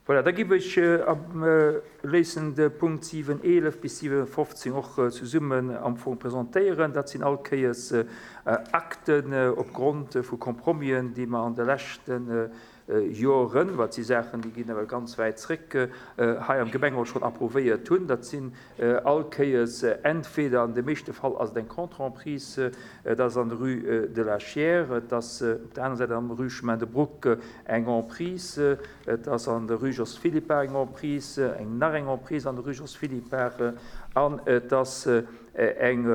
Voilà, da giff ech léissen de Punkt 7, 11 bis 7, 15 och zesummen am Fong presentéieren. Dat sinn all Kéiers Akten opgrond vu Compromisen, déi mer an de leschte Joren, wat si Saachen, déi ginn ewell ganz wäit zréck, hei am Gemengerot schonn approuvéiert hunn. Dat sinn all Kéiers entweder, an de meeschte Fall ass et eng Contre-emprise, et ass an der Rue de la Chiers, et ass op der anerer Säit am Rue Chemin de Brouck eng Emprise, et ass an der Rue Jos Philippart eng Emprise, eng nach eng Emprise an der Rue Jos Philippart an et ass eng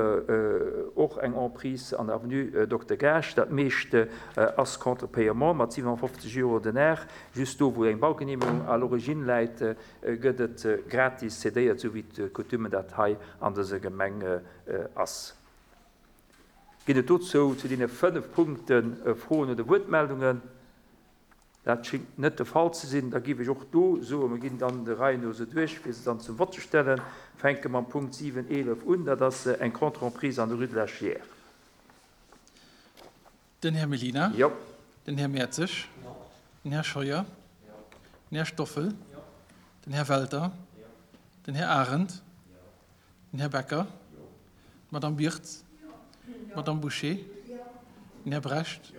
och eng Emprise an der Avenue Dokter Gaasch. Dat meescht ass contre paiement mat 57 Euro den Ar. Just do, wou eng Baugenehmegung à l'origine läit, gëtt et gratis cédéiert, esou wéi d'Coutume dat hei an dëser Gemeng ass. Ginn et dozou zu deene 5 Punkte Froen oder Wuertmeldungen? Dat schéngt net de Fall ze sinn. Da géif ech och do soen, mer ginn dann der Rei no se duerch, fir se dann zum Vott ze stellen. Fänke mam Punkt 7, 11 un. Dat ass eng Contre-emprise an der Rue de la Chiers. Den Här Mellina. Jo. Den Här Mertzig. Jo. Den Här Scheuer. Jo. Den Här Stoffel. Jo. Den Här Welter. Jo. Den Här Arendt. Jo. Den Här Becker. Jo. D'Madame Birtz. D'Madame Bouché. Den Här Brecht.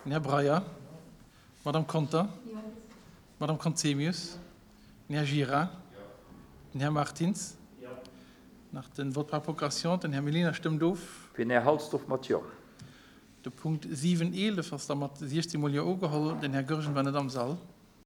Den Här Breyer. D'Madame Conter. D'Madame Conzemius. Den Här Gira. Den Här Martins. Nach den Vote par procuration. Den Här Mellina stëmmt of. Fir den Här Halsdorf mat Jo. De Punkt 7, 11 ass da mat 16 mol Jo ugeholl. Den Här Goergen war net am Sall.